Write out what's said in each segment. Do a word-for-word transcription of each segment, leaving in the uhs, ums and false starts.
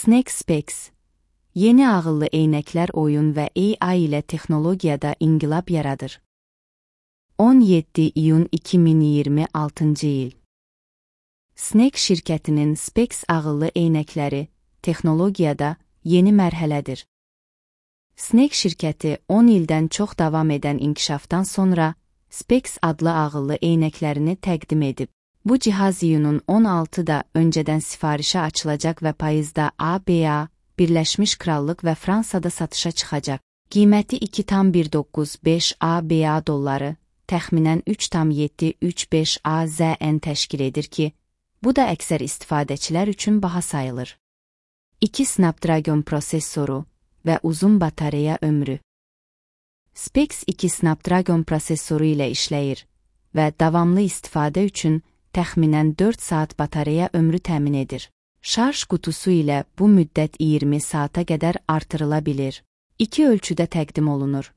Snake Specs yeni ağıllı eynəklər oyun və A I ilə texnologiyada inqilab yaradır. on yeddi iyun iki min iyirmi altıncı il. Snake şirkətinin Specs ağıllı eynəkləri texnologiyada yeni mərhələdir. Snake şirkəti on ildən çox davam edən inkişafdan sonra Specs adlı ağıllı eynəklərini təqdim edib. Bu cihaz iyunun on altıda öncədən sifarişə açılacaq və payızda A B A, Birləşmiş Krallıq və Fransada satışa çıxacaq. Qiyməti iki tam bir doqquz beş A B A dolları, təxminən üç tam yeddi üç beş A Z N təşkil edir ki, bu da əksər istifadəçilər üçün baha sayılır. iki Snapdragon prosessoru və uzun batareya ömrü. Specs iki Snapdragon prosessoru ilə işləyir və davamlı istifadə üçün təxminən dörd saat batareya ömrü təmin edir. Şarj qutusu ilə bu müddət iyirmi saata qədər artırıla bilir. İki ölçüdə təqdim olunur.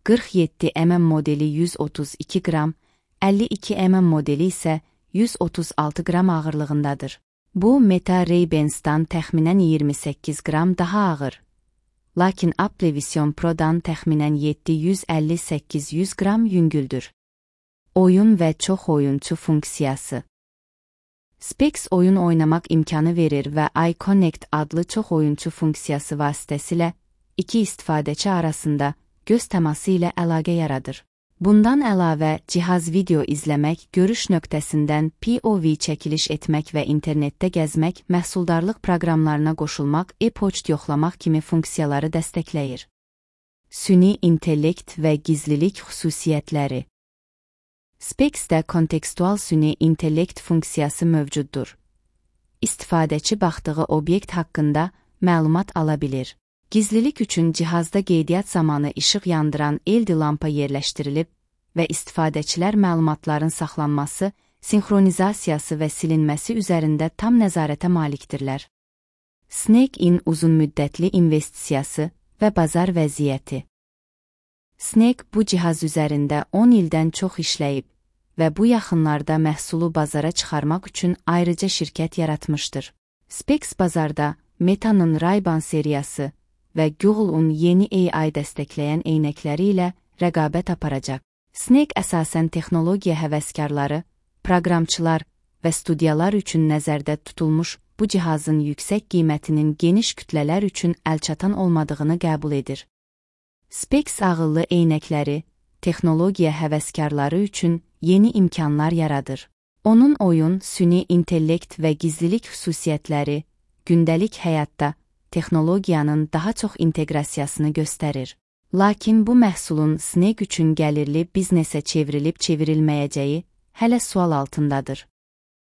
qırx yeddi mm modeli yüz otuz iki qram, əlli iki mm modeli isə yüz otuz altı qram ağırlığındadır. Bu, Meta Ray-Bans'dan təxminən iyirmi səkkiz qram daha ağır. Lakin Apple Vision Pro-dan təxminən yeddi yüz əlli səkkiz yüz qram yüngüldür. Oyun və çox oyunçu funksiyası. Specs oyun oynamaq imkanı verir və iConnect adlı çox oyunçu funksiyası vasitəsilə iki istifadəçi arasında göz təması ilə əlaqə yaradır. Bundan əlavə, cihaz video izləmək, görüş nöqtəsindən P O V çəkiliş etmək və internetdə gəzmək, məhsuldarlıq proqramlarına qoşulmaq, e-poçt yoxlamaq kimi funksiyaları dəstəkləyir. Süni intellekt və gizlilik xüsusiyyətləri. Specsdə kontekstual süni intellekt funksiyası mövcuddur. İstifadəçi baxdığı obyekt haqqında məlumat ala bilir. Gizlilik üçün cihazda qeydiyyat zamanı işıq yandıran L E D lampa yerləşdirilib və istifadəçilər məlumatların saxlanması, sinxronizasiyası və silinməsi üzərində tam nəzarətə malikdirlər. Snake-in uzunmüddətli investisiyası və bazar vəziyyəti. Snake bu cihaz üzərində on ildən çox işləyib və bu yaxınlarda məhsulu bazara çıxarmaq üçün ayrıca şirkət yaratmışdır. Specs bazarda Meta'nın Ray-Ban seriyası və Google'un yeni A I dəstəkləyən eynəkləri ilə rəqabət aparacaq. Snake əsasən texnologiya həvəskarları, proqramçılar və studiyalar üçün nəzərdə tutulmuş bu cihazın yüksək qiymətinin geniş kütlələr üçün əlçatan olmadığını qəbul edir. Specs ağıllı eynəkləri, texnologiya həvəskarları üçün yeni imkanlar yaradır. Onun oyun, süni intellekt və gizlilik xüsusiyyətləri gündəlik həyatda texnologiyanın daha çox inteqrasiyasını göstərir. Lakin bu məhsulun Snake üçün gəlirli biznesə çevrilib çevrilməyəcəyi hələ sual altındadır.